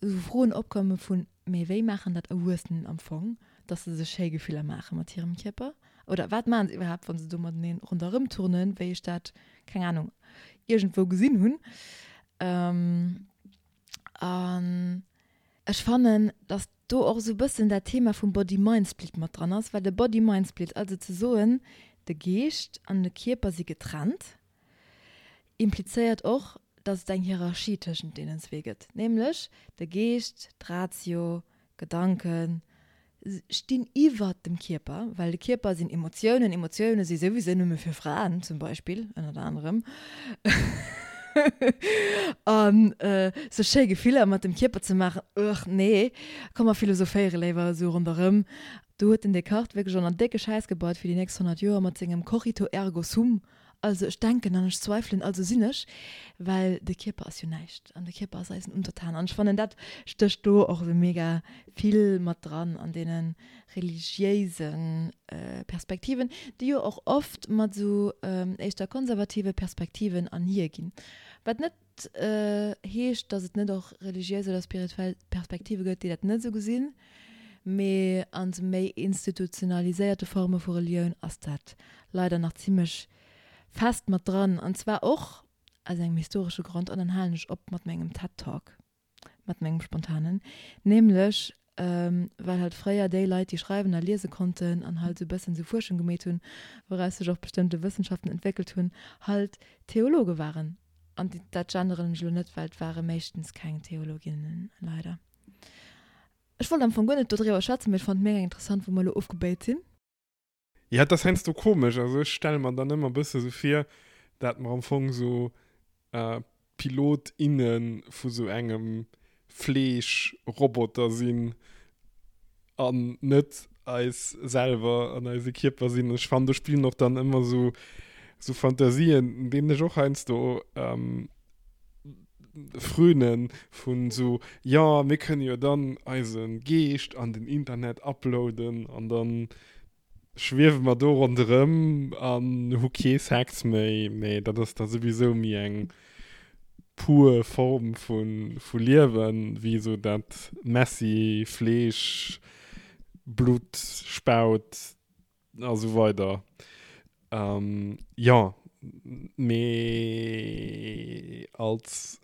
esou Froen opkomme vun, Mee wéi maachen dat Erwuessenen am Fong, dass se sech schéi Gefiller maache mat hirem Kierper? Oder wat maachen se iwwerhaapt, wa se do mateneen ronderëm turnen, wéi ech dat, keng Anung, iergendwou gesinn hunn? An ech fannen, dass do och esou e bëssen dat Thema vum Body-Mind-Split mat dran ass, well de Body-Mind-Split, also ze soen, de Geescht an de Kierper si getrennt, implizéiert och, dass et eng Hierarchie tëschent deenen zwee gëtt, nämlech de Geescht, d'Ratio, d'Gedanken stinn iwwert dem Kierper, well de Kierper sinn Emotiounen, Emotioune si souwisou nëmme fir Fraen zum Beispill, ënnert anerem, an sech schéi Gefiller mat dem Kierper ze maachen, ugh, nee, komm mer philosophéiere léiwer esou ronderëm. Do huet den Descartes wierklech och nach décke Schäiss gebaut fir déi nächst 100 Joer mat sengem Cogito ergo sum, Also ech denken an ech zweifelen, also sinn ech, well de Kierper ass jo näischt an de Kierper ass eisen Untertan. An ech fannen dat stécht do och esou mega vill mat dran an deene religiéise Perspektiven, déi jo och oft mat esou éischter konservative Perspektiven anhier ginn. Wat net heescht, datt et net och religiéis oder spirituell Perspektive gëtt, déi dat net esou gesinn, mee an esou méi institutionaliséierte Forme vu Relioun ass dat leider nach zimmlech fest mat dran, an zwar och aus engem historesche Grond, an dann halen ech op mat mengem TED Talk, mat mengem spontanen, nämlech well halt fréier déi Leit, déi schreiwen a liese konnten an halt esou e bëssen esou Fuerschung gemeet hunn, wouraus sech och bestëmmte Wëssenschaften entwéckelt hunn, halt Theologe waren. An dat genderen ech elo net, well et ware meeschtens keng Theologinnen, leider. Ech wollt am Fong guer net dodriwwer schwätzen, mee ech fand et mega interessant, wou mer elo ofgebéit sinn. Ja, et ass heiansdo komesch. Also ech stelle mer dann ëmmer e bësse sou vir, dat mer am Fong sou Pilot, inne vu sou engem Fleeschroboter sinn an net eis selwer an eise Kierper sinn. Ech fannen, do spillen och dann ëmmer sou sou Fantasien, deenen ech och heiansdo frönen, vun sou, jo, mir kënne jo dann eise Geescht an den Internet uploaden an dann schwiewe mer do ronderëm an hu kee Sex méi. Mee dat ass da souwisou méi eng pur Form vu Liewen, wéi esou dat messy Fleesch, Blutt, Spaut a sou weider. Jo, mee als.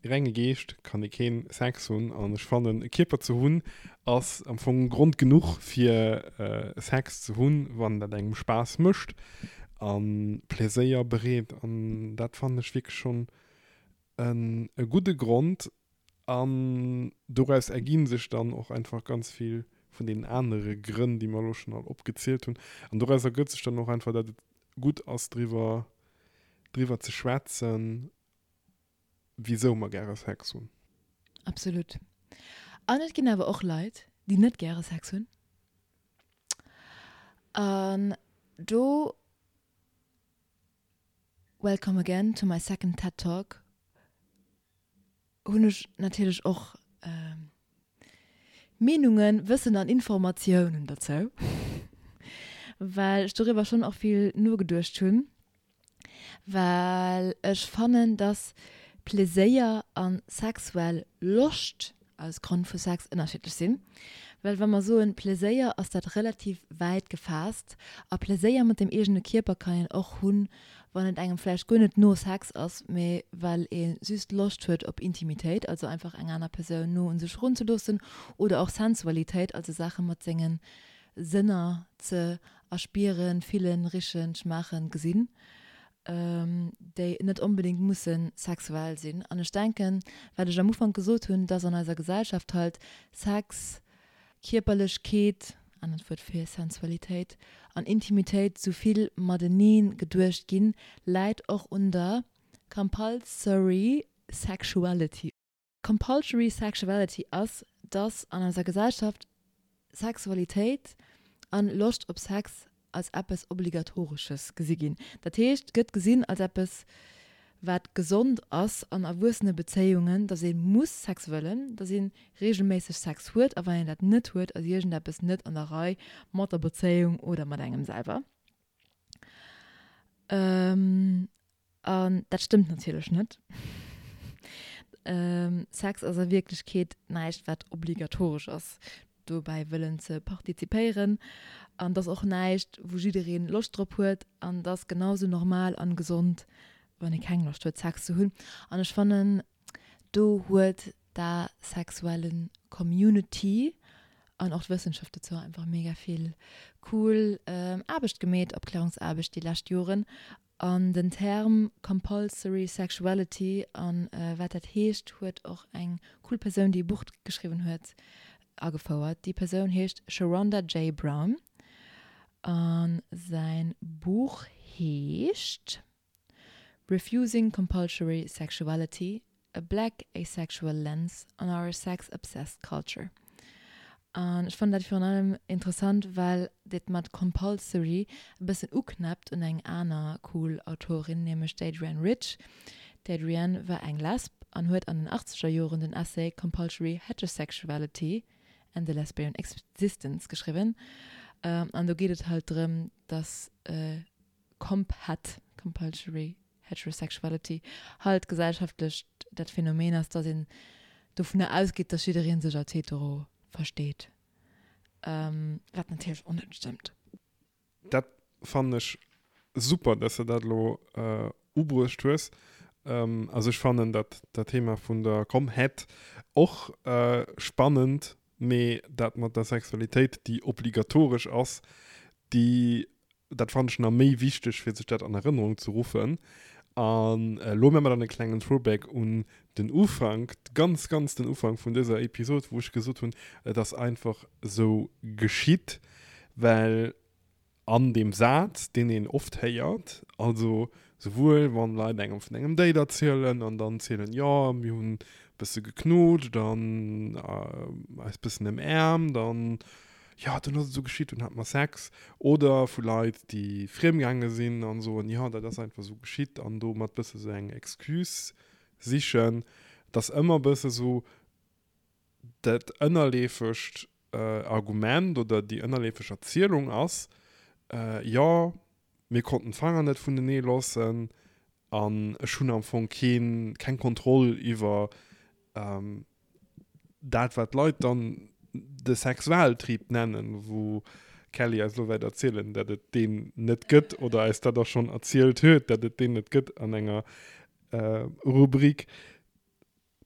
renge Geescht kann ee keen Sex hunn an ech fannen e Kierper ze hunn ass am Fong Grond genuch fir Sex ze hunn, wann dat engem Spaass mécht a Pleséier bereet an dat fannen ech wierklech schonn e gudde Grond an doraus erginn sech dann och einfach ganz vill vun deenen anere Grënn, déi mer elo schonn all opgezielt hunn an doraus ergëtt sech dann och einfach, dat et gutt ass driwwer driwwer ze schwätzen, wisou mer gäre Sex hunn. Absolut. An et ginn awer och Leit, déi net gäre Sex hunn. An do, welcome again to my second TED Talk, hunn ech natierlech och Meenungen, Wëssen an Informatiounen dozou, well ech doriwwer schonn och vill nogeduecht hunn, well ech fannen, dass Pleséier a sexuell Loscht als Grond vu Sex ënnerschiddlech sinn. Well wa mer soen Pleséier, ass dat relativ wäit gefaasst a Pleséier mat dem eegene Kierper kann een och hunn, wann et engem vläicht guer net no Sex ass, mee well ee just Loscht huet op Intimitéit, also einfach eng aner Persoun no un sech erunzeloossen, oder och Sensualitéit, also Saache mat senge Sënner ze erspieren, fillen, richen, schmaachen, gesinn, déi net onbedéngt musse sexuell sinn. An ech denken, wat ech am Ufank gesot hunn, dass an eiser Gesellschaft halt Sex, Kierperlechkeet, anert Wuert fir Sensualitéit, an Intimitéit sou vill mateneen geduecht ginn, läit och un der Compulsory Sexuality. Compulsory Sexuality ass, dass an eiser Gesellschaft Sexualitéit an Loscht op Sex als eppes Obligatoresches gesi ginn. Dat heescht, et gëtt gesinn als eppes, wat gesond ass an erwuessene Bezéiungen, dass ee muss Sex wëllen, dass ee reegelméisseg Sex huet a wann een dat net huet, ass iergendeppes net an der Rei mat der Bezéiung oder mat engem selwer. An dat stëmmt natierlech net. Sex ass a Wierklechkeet näischt, wat obligatoresch ass, dobäi wëllen ze partizipéieren. An et ass och näischt, wou jidderee Loscht drop huet. An et ass genau sou normal an gesond, wann ee keng Loscht huet, Sex ze hunn. An ech fannen, do huet d'asexuelle Community an och d'Wëssenschaft dozou einfach mega vill cool Aarbecht gemeet, Opklärungsaarbecht déi lescht Joren. An den Term Compulsory Sexuality an wat dat heescht, huet och eng cool Persoun, déi e Buch geschriwwen huet, agefouert. Déi Persoun heescht Sherronda J. Brown a säin Buch heescht Refusing Compulsory Sexuality, A Black Asexual Lens on Our Sex-Obsessed Culture. An ech fannen dat virun allem interessant, well dat mat compulsory e bëssen uknäppt un eng aner cool Autorin, nämlech d'Adrienne Rich. D'Adrienne war eng Lesb an huet an den achtzeger Joren den Essay Compulsory Heterosexuality and the Lesbian Existence geschriwwen. An do geet et halt drëm, dass Comphet, Compulsory Heterosexuality, halt gesellschaftlech dat Phänomen ass, dass een dovunner ausgeet, dass jidderee sech als hetero versteet, wat natierlech och net stëmmt. Dat fannen ech super, dass de dat elo ubruecht hues. Also ech fannen dat dat Thema vun der Comhet och spannend, mee dat mat der Sexualitéit, déi obligatoresch ass, déi dat fannen ech nach méi wichteg, fir sech dat an Erënnerung ze ruffen. An elo maache mer dann e klengen Throwback un den Ufank, ganz, ganz den Ufank vun dëser Episod, wou ech gesot hunn, et ass einfach esou geschitt, well an deem Saz, deen een oft héiert, also souwuel wann Leit engem vun engem Date erzielen an dann zielen, jo, mir hunn e bësse geknutscht an eis bëssen ëmäermt an jo, dunn ass et esou geschitt, dunn hate mer Sex. Oder vu Leit, déi friemgaange sinn an soen, jo, dat ass einfach esou geschitt an domat bësse sou eng Excuse sichen. Et ass ëmmer bësse sou dat ënnerleefegt Argument oder déi ënnerleefeg Erzielung ass, jo, mir konnten d'Fanger net vunenee loossen an ech hunn am Fong keen, keng Kontroll iwwer dat wat d'Leit dann de Sexualtrieb nennen, wou d'Kelly eis elo wäert erzielen, dat et deen net gëtt oder eis dat och schonn erzielt huet, dat et deen net gëtt an enger Rubrik.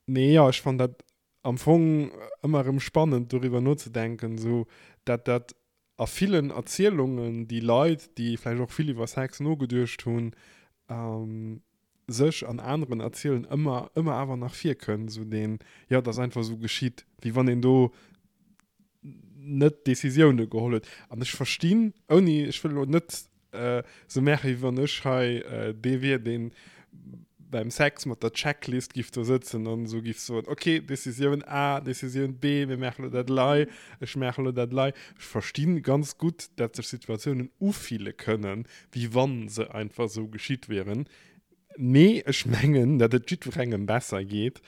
Mee jo, ech fannen dat am Fong ëmmer erëm spannend doriwwer nozedenken, esou dat dat a villen Erzielungen déi Leit, déi vläicht och vill iwwer Sex nogeduecht hunn, sech an aneren erzielen, ëmmer ëmmer awer nach virkënnt, esou deen, jo, et ass einfach esou geschitt, wéi wann een do net Decisioune geholl huet. An ech verstinn, ouni, ech wëll elo net esou maachen, wéi wann ech hei dee wier, dee beim Sex mat der Checklist giff do sëtzen an esou giff soen, ok, Decisioun A, Decisioun B, mir maache lo dat lei, ech maache lo dat lei. Ech verstinn ganz gutt, dat sech Situatiounen ufille kënnen, wéi wann se einfach esou geschitt wieren. Mee ech mengen, dat et jiddwerengem besser geet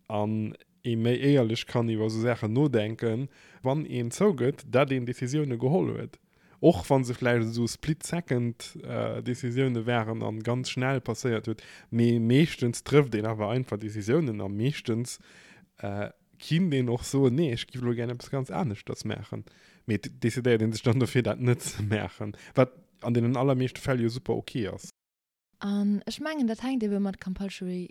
an ee méi éierlech kann iwwer esou Saachen nodenken, wann een zougëtt, dat een Decisioune geholl huet, och wa se vläicht esou Split-Second-Decisioune waren a ganz schnell passéiert huet. Mee meeschtens trëfft een awer einfach Decisiounen a meeschtens kinnt een och soen, nee, ech giff elo gär eppes ganz aneschters maachen. Mee et decidéiert ee sech dann dofir, dat net ze maachen, wat an deenen allermeeschte Fäll jo super ok ass. An ech mengen, dat hänkt ebe mat Compulsory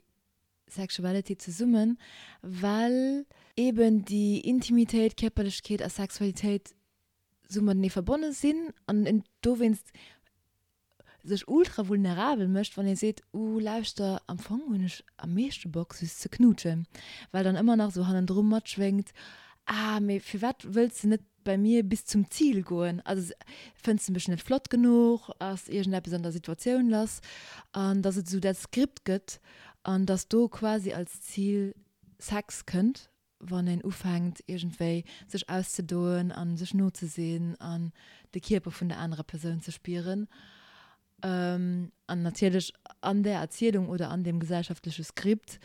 Sexuality zesummen, well eben déi Intimitéit, Kierperlechkeet a Sexualitéit sou matenee verbonne sinn an een dowéinst sech ultra vulnerabel mécht, wann ee seet, Uh, lauschter, am Fong hunn ech am meeschte Bock just ze knuutschen, well dann ëmmer nach sou hannendru matschwéngt, Ah, mee firwat wëlls de net bei mir bis zum Zil goen? Also fënns de mech net flott genuch? Ass iergendeppes an der Situatioun lass? An dass et esou dat Skript gëtt an dass do quasi als Zil Sex kënnt, wann een ufänkt iergendwéi sech auszedoen a sech no ze sinn an de Kierper vun der anerer Persoun ze spieren. An natierlech an där Erzielung oder an deem gesellschaftleche Skript,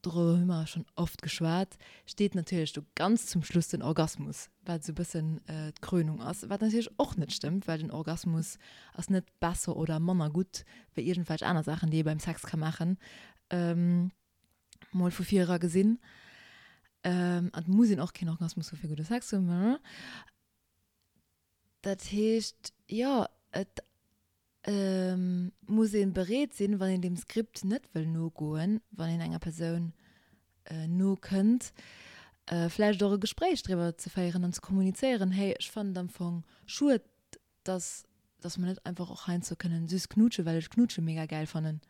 doriwwer hu mer schonn oft geschwat, steet natierlech do ganz zum Schluss den Orgasmus, wat esou e bëssen d'Krönung ass, wat natierlech och net stëmmt, well den Orgasmus ass net besser oder manner gutt wéi iergendwelch aner Saachen, déi ee beim Sex ka maachen, mol vu vir era gesinn. An et muss een och keen Orgasmus hu fir gudde Sex ze hunn. Dat heescht, jo, et muss ee bereet sinn, wann een deem Skript net wëll nogoen, wann een enger Persoun nokënnt, vläicht och e Gespréich driwwer ze féieren an ze kommunizéieren, Hey, ech fannen et am Fong schued, dass dass mer net einfach och heiansdo kënnen süss knuutschen, well ech Knuutsche mega gäil fannen.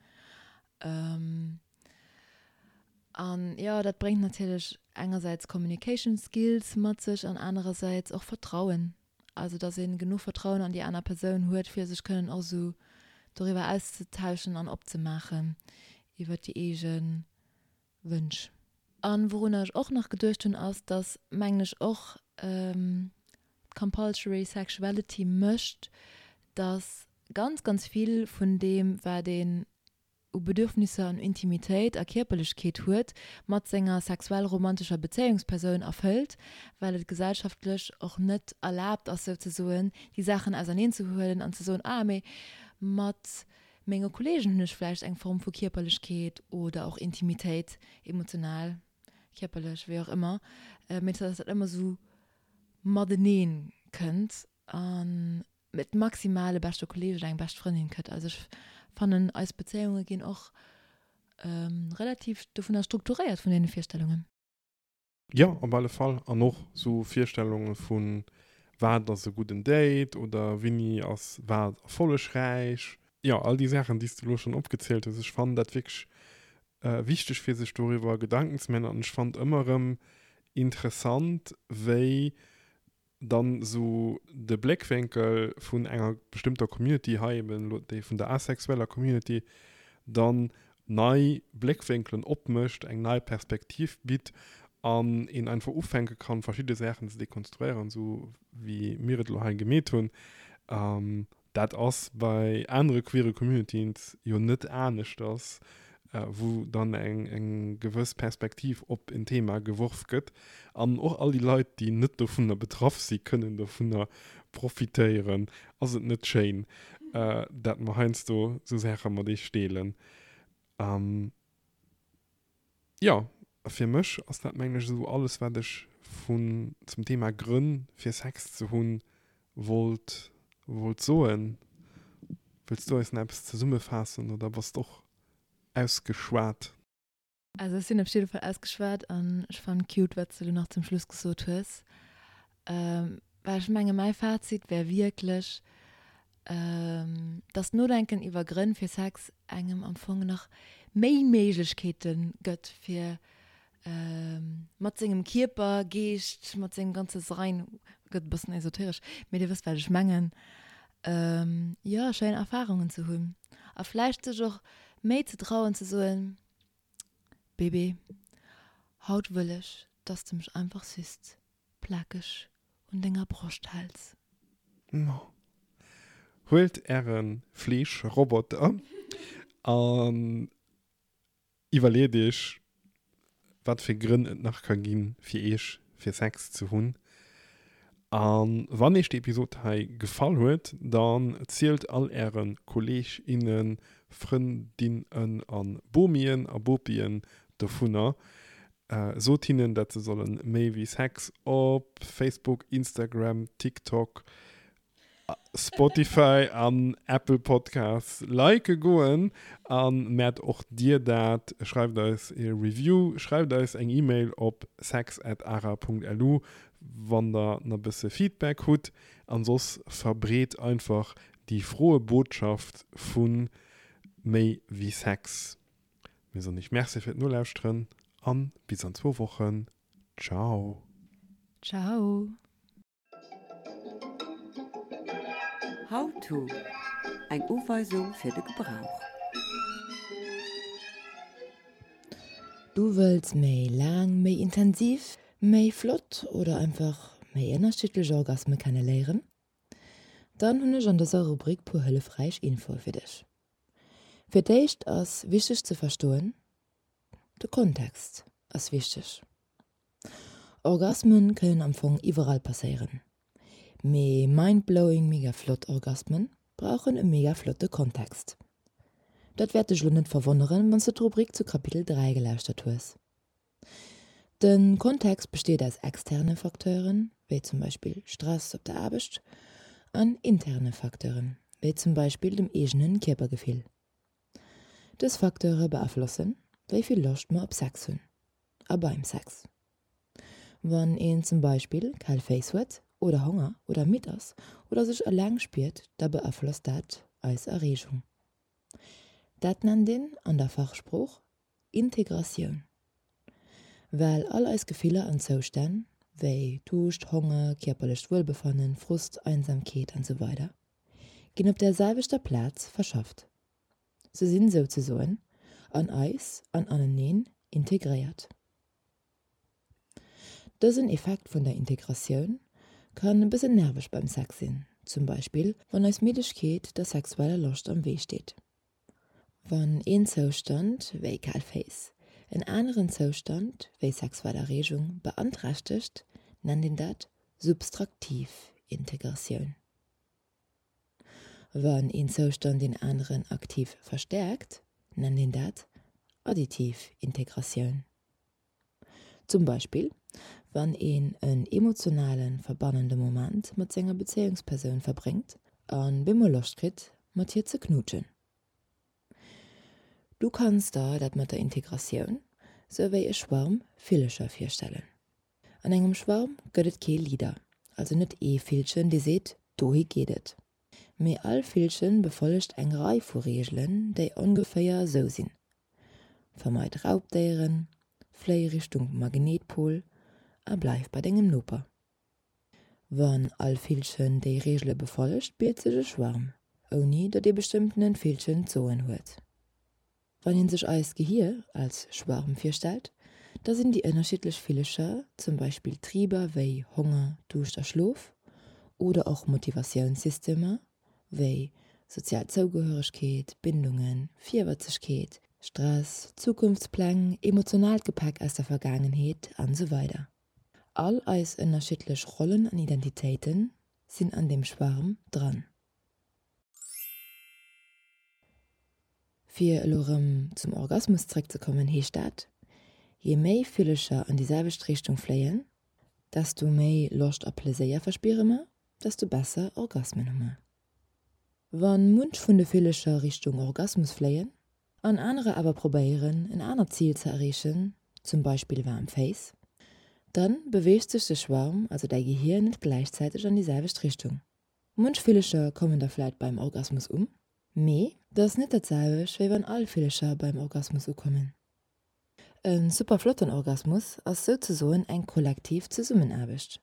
An jo, dat bréngt natierlech engersäits Communication Skills mat sech an anerersäits och Vertrauen. Also dass ee genuch Vertrauen an déi aner Persoun huet, fir sech kënnen och esou doriwwer auszetauschen an opzemaachen iwwer déi eege Wënsch. An wourunner ech och nach geduecht hunn, ass, dass, mengen ech, och d'Compulsory Sexuality mécht, dass ganz, ganz vill vun deem, wat een u Bedürfnisser an Intimitéit a Kierperlechkeet huet, mat senger sexuell-romantescher Bezéiungspersoun erfëllt, well et gesellschaftlech och net erlaabt ass, souzesoen déi Saachen auserneenzehuelen an ze soen, ah, mee mat menge Kolleegen hunn ech vläicht eng Form vu Kierperlechkeet oder och Intimitéit, emotional, kierperlech, wéi och ëmmer, mee dass dat ëmmer esou matenee kënnt an et maximal e beschte Kolleg oder eng bescht Frëndin gëtt. Also ech fannen eis Bezéiunge ginn och relativ dovunner strukturéiert vun deene Virstellungen. Jo, op alle Fall. An och sou Virstellunge vu wat ass e gudden Date oder wéini ass wat erfollegräich. Jo, all déi Saachen, déi s de elo schonn opgezielt hues, ech fannen dat wierklech wichteg fir sech doriwwer Gedanken ze maachen. An ech fannen ëmmer erëm interessant, wéi dann esou de Bléckwénkel vun enger bestëmmter Community, hei eben elo déi vun der asexueller Community, dann nei Bléckwénkelen opmécht, eng nei Perspektiv bitt an een einfach ufänke kann, verschidde Saachen ze dekonstruéieren, esou wéi mir et elo hei gemeet hunn. Dat ass bei anere queere Communities jo net aneschters, wou dann eng gewëss Perspektiv op en Thema geworf gëtt. An och all déi Leit, déi net dovunner betraff si kënnen dovunner profitéieren. Ass et net schéin, dat mer heiansdo esou Saache mat eech deelen? Jo, fir mech ass dat mengen ech esou alles wat ech vun zum Thema Grënn fir Sex ze hunn wollt wollt soen. Wëlls du eis nach eppes zesummefaassen oder bass d'och ausgeschwat? Also ech sinn op jidde Fall ausgeschwat an ech fannen cute wat s de elo nach zum Schluss gesot hues. Well ech menge mäi Fazit wär wierklech, dass d'Nodenken iwwer Grënn fir Sex engem am Fong nach méi Méiglechkeete gëtt fir mat sengem Kierper, Geescht, mat sengem ganze Sein, gëtt e bëssen esoteresch, mee dir wësst wat ech mengen, jo schéin Erfarungen ze hunn a vläicht sech och méi ze trauen ze soen, Bébé, haut wëll ech, dass de mech einfach süss plakeg un denger Broscht häls. Ma huelt äre Fleeschroboter an iwwerleet iech, wat fir Grënn et nach ka ginn, fir iech fir Sex ze hunn. A wann iech déi Episod hei gefall huet, dann zielt all äre Kolleeg, innen, Frëndinnen a Bomien a Bopien dovunner. Sot hinnen, dat se sollen méi wéi Sex op Facebook, Instagram, TikTok, Spotify an Apple Podcasts like goen. A mäert och dir dat, schreift eis e Review, schreift eis eng E-Mail op sex@ara.lu wann der na bësse Feedback hutt. An soss verbreet einfach déi froe Botschaft vu méi wéi Sex. Mir soen iech Merci fir d'Nolauschteren an bis an zwou Wochen. Ciao. Ciao. How to, Eng Uweisung fir de Gebrauch. Du wëlls méi laang, méi intensiv, méi flott oder einfach méi ënnerschiddlech Orgasme kenne léieren? Dann hunn ech an dëser Rubrik puer hëllefräich Infoe fir dech. Fir d'éischt ass wichteg ze verstoen, De Kontext ass wichteg. Orgasmen kënnen am Fong iwwerall passéieren, mee mindblowing mega flott Orgasmen brauchen e mega flotte Kontext. Dat wäert dech lo net verwonneren, wanns de d'Rubrik zu Kapitel 3 gelauschtert hues. De Kontext besteet aus externe Facteuren, wéi zum Beispill Stress op der Aarbecht, an interne Facteuren, wéi zum Beispill dem eegenen Kierpergefill. Dës Facteure beaflossen, wéi vill Loscht mer op Sex hunn a beim Sex. Wann een zum Beispill kal Féiss huet oder Honger oder midd ass oder sech eleng spiert, da beaflosst dat eis Erreegung. Dat nennt een an der Fachsprooch Integratioun. Well all eis Gefiller an Zoustänn, wéi Duuscht, Honger, kierperlecht Wuelbefannen, Frust, Einsamkeet an sou weider ginn op där selwechter Plaz verschafft. Se sinn souzesoen an eis an aneneen integréiert. Dësen Effekt vun der Integratioun kann e bëssen nerveg beim Sex sinn, zum Beispill wann eis Middegkeet der sexueller Loscht am Wee steet. Wann een Zoustand, wéi kal Féiss, en aneren Zoustand, wéi sexuell Erreegung, beanträchtegt, nennt een dat substraktiv Integratioun. Wann een Zoustand deen aneren aktiv verstäerkt, nennt een dat additiv Integratioun. Zum Beispill wann een en emotionalen, verbannende Moment mat senger Bezéiungspersoun verbréngt a bemol Loscht kritt, mat hir ze knuutschen. Du kanns der dat mat der Integratioun sou wéi e Schwarm Villecher virstellen. An engem Schwarm gëtt et kee Leader, also net ee Villchen, dee seet, dohi geet et. Mee all Villchen befollegt eng Rei vu Reegelen, déi ongeféier esou sinn, Vermeid Raubdéieren, fléi Richtung Magnetpol a bleif bei dengem Noper. Wann all Villchen déi Reegele befollegt, bilt sech e Schwarm, ouni datt ee bestëmmtenen Villchen d'Soen huet. Wann een sech eist Gehier als Schwarm virstellt, da sinn déi ënnerschiddlech Villecher zum Beispill Triber wéi Honger, Duuscht a Schlof oder och Motivatiounssystemer wéi sozial Zougehöregkeet, Bindungen, Virwëtzegkeet, Stress, Zukunftspläng, emotionaalt Gepäck aus der Vergaangenheet an esou weider All eis ënnerschiddlech Rollen an Identitéite sinn an deem Schwarm dran. Fir elo erëm zum Orgasmus zréckzekommen, heescht dat, je méi Villecher an déi selwecht Richtung fléien, desto méi Loscht a Pleséier verspiere mer, desto besser Orgasmen hu mer. Wa munch vun de Villecher Richtung Orgasmus fléien. An anerer awer probéieren en anert Zil ze erreechen, zum Beispill waarm Féiss, dann beweegt sech de Schwarm, also däi Gehier, net gläichzäiteg an déi selwecht Richtung. Munch Villecher kommen da vläit beim Orgasmus um, mee dat ass net dat selwecht wéi wann all Villecher beim Orgasmus ukommen. E super flotten Orgasmus ass souzesoen eng kollektiv Zesummenaarbecht.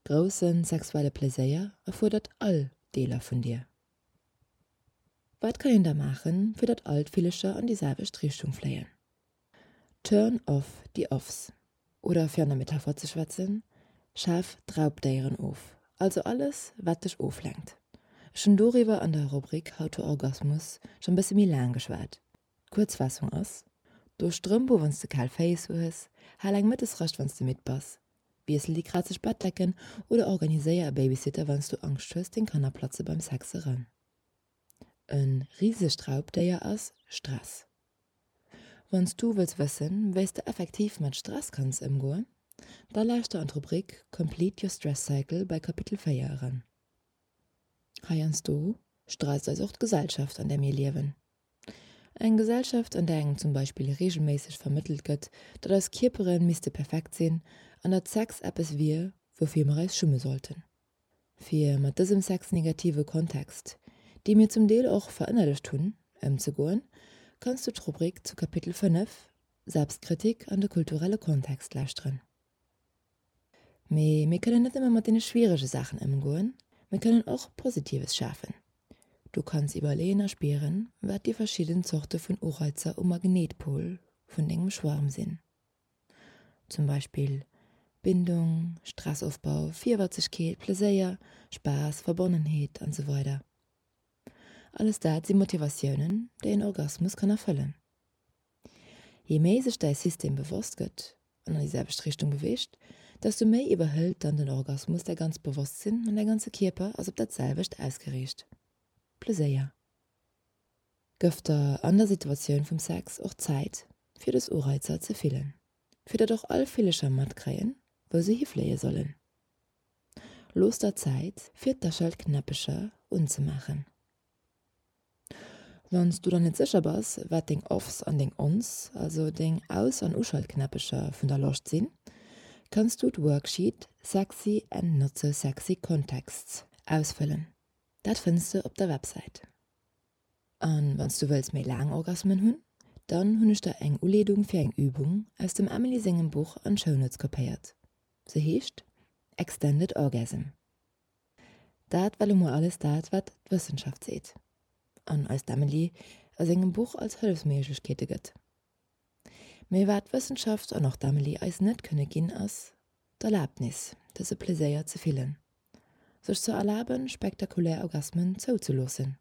Grousse sexuelle Pleséier erfuerdert all Deeler vun dir. Wat kann een da maachen, fir datt all d'Villecher an déi selwecht Richtung fléien? Turn off the offs. Oder fir an der Metapher ze schwätzen, schaf d'Raubdéieren of, also alles, wat dech oflenkt. Ech hunn doriwwer an der Rubrik How to Orgasmus schonn bësse méi laang geschwat. D'Kuerzfaassung ass, Do Strëmp u wann s de kal Féiss hues, hal eng Mëttesrascht wann s de midd bass, wiessel déi krazeg Bettdecken oder organiséier e Babysitter wann s du Angscht hues, deng Kanner platze beim Sex eran. E risegt Raubdéier ass Stress. Wann s du wëlls wëssen, wéi s de effektiv mat Stress kanns ëmgoen, da lauschter an d'Rubrik Complete your stress cycle bei Kapitel 4 eran. Heiansdo stresst eis och d'Gesellschaft, an där mir liewen. Eng Gesellschaft, an där engem zum Beispill reegelméisseg vermëttelt gëtt, datt eis Kierpere misste perfekt sinn an datt Sex eppes wier, woufir mer eis schumme sollten. Fir mat dësem sexnegative Kontext, dee mir zum Deel och verënnerlecht hunn, ëmzegoen, kanns du d'Rubrik zu Kapitel 5, Selbstkritik an de kulturelle Kontext lauschteren. Mee mir kënnen net nëmme mat deene schwierege Saachen ëmgoen, mir kënnen och Positives schafen. Du kanns iwwerleeën a spieren, wat déi verschidden Zorte vun Ureizer um Magnetpol vun dengem Schwarm sinn. Zum Beispill Bindung, Stressofbau, Virwëtzegkeet, Pleséier, Spaass, Verbonnenheet an esou weider Alles dat si Motivatiounen, déi en Orgasmus kann erfëllen. Jee méi sech däi System bewosst gëtt an an déi selwecht Richtung beweegt, desto méi iwwerhëlt dann den Orgasmus däi ganzt Bewosstsinn an däi ganze Kierper ass op dat selwecht ausgeriicht. Pleséier. Gëff der an der Situatioun vum Sex och Zäit fir dës Ureizer ze fillen, fir datt och all Villecher matkréien, wou se hifléie sollen. Looss der Zäit fir d'Aschaltknäppecher unzemaachen. Wann s du der net sécher bass, wat deng Offs an deng Ons, also deng Aus an Uschaltknäppecher vun der Loscht sinn, kanns du d'Worksheet Sexy and not so sexy contexts ausfëllen. Dat fënns de op der Websäit. An wann s du wëlls méi laang Orgasmen hunn, dann hunn ech der eng Uleedung fir eng Übung aus dem Emily sengem Buch an d'Shownotes kopéiert. Se heescht Extended Orgasm. Dat war lo mol alles dat, wat d'Wëssenschaft seet an eis d'Emily a sengem Buch als Hëllefsméiglechkeete gëtt. Mee wat d'Wëssenschaft an och d'Emily eis net kënne ginn, ass d'Erlabnis, dëse Pleséier ze fillen, sech ze erlaben, spektakulär Orgasmen zouzeloossen.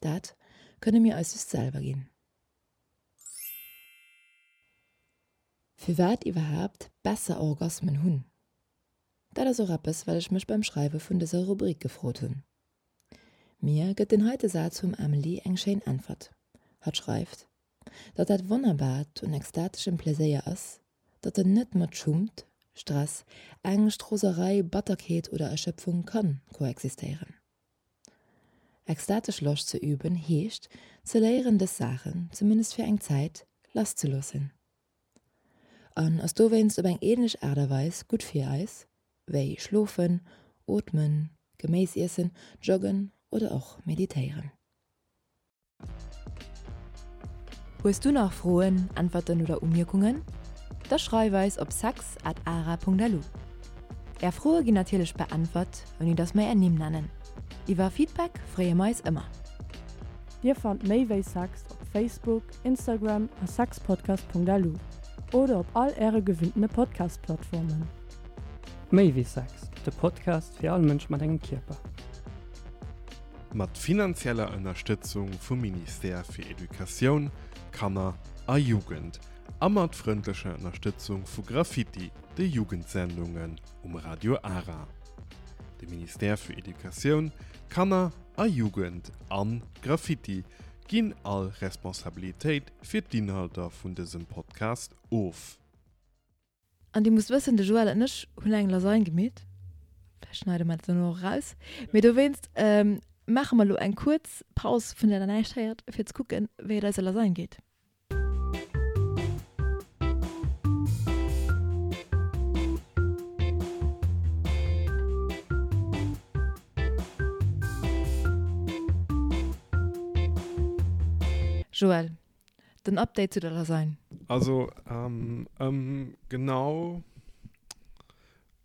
Dat kënne mir eis just selwer ginn. Firwat iwwerhaapt besser Orgasmen hunn? Dat ass och eppes, wat ech mech beim Schreiwe vun dëser Rubrik gefrot hunn. Mir gëtt den heite Saz vum Amelie eng schéin Äntwert. Hatt schreift, datt dat Wonnerbaart un extateschem Pleséier ass, datt en net mat Schummt, Stress, Ängscht, Roserei, Batterkeet oder Erschöpfung kann koexistéieren. Extatesch Loscht ze üben heescht, ze léieren dës Saachen, zumindest fir eng Zäit, lasszeloossen. An ass dowéinst op eng ähnlech Aart a Weis gutt fir eis, wéi schlofen, ootmen, Geméis iessen, joggen oder och meditéieren. Hues du nach Froen, Äntwerten oder Umierkungen? Da schreif eis op sex at ara.lu. Är Froe ginn natierlech beäntwert, ouni dass mer är Nimm nennen. Iwwer Feedback freeë mer eis ëmmer. Dir fannt méi wéi Sex op Facebook, Instagram a sexpodcast.lu oder op all äre gewinntene Podcast-Plattformen. Méi wéi Sex, de Podcast fir all Mënsch mat engem Kierper. Mat finanzieller Ënnerstëtzung vum Ministère fir Educatioun, Kanner a Jugend a mat frëndlecher Ënnerstëtzung vu Graffiti, de Jugendsendungen um Radio Ara. De Ministère fir Educatioun, Kanner a Jugend an Graffiti ginn all Responsabilitéit fir d'Inhalter vun dësem Podcast of. An Dir musst wëssen, de Joël an ech hunn eng Lasagne gemeet. Vläicht schneide mer dat dono och eraus. Mee dowéinst. maache mer elo eng kuerz Paus, vun där der näischt héiert, fir ze kucken, wéi et eiser Lasagne geet. Joël, den Update zu der Lasagne. Also ëm genau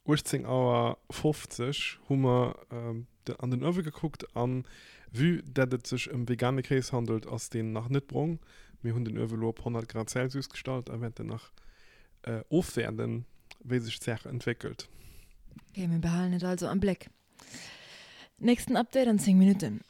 18 Auer 50 hu mer an den Uewe gekuckt an vue dat et sech ëm vegane Kéis handelt, ass deen nach net brong. Mir hunn den Uewe lo op 100 Grad Celsius gestallt a wäerten nach ofwäerden, wéi sech d'Saach entwéckelt. Ok, mir behalen et also am Bléck. Nächsten Update an 10 Minutten.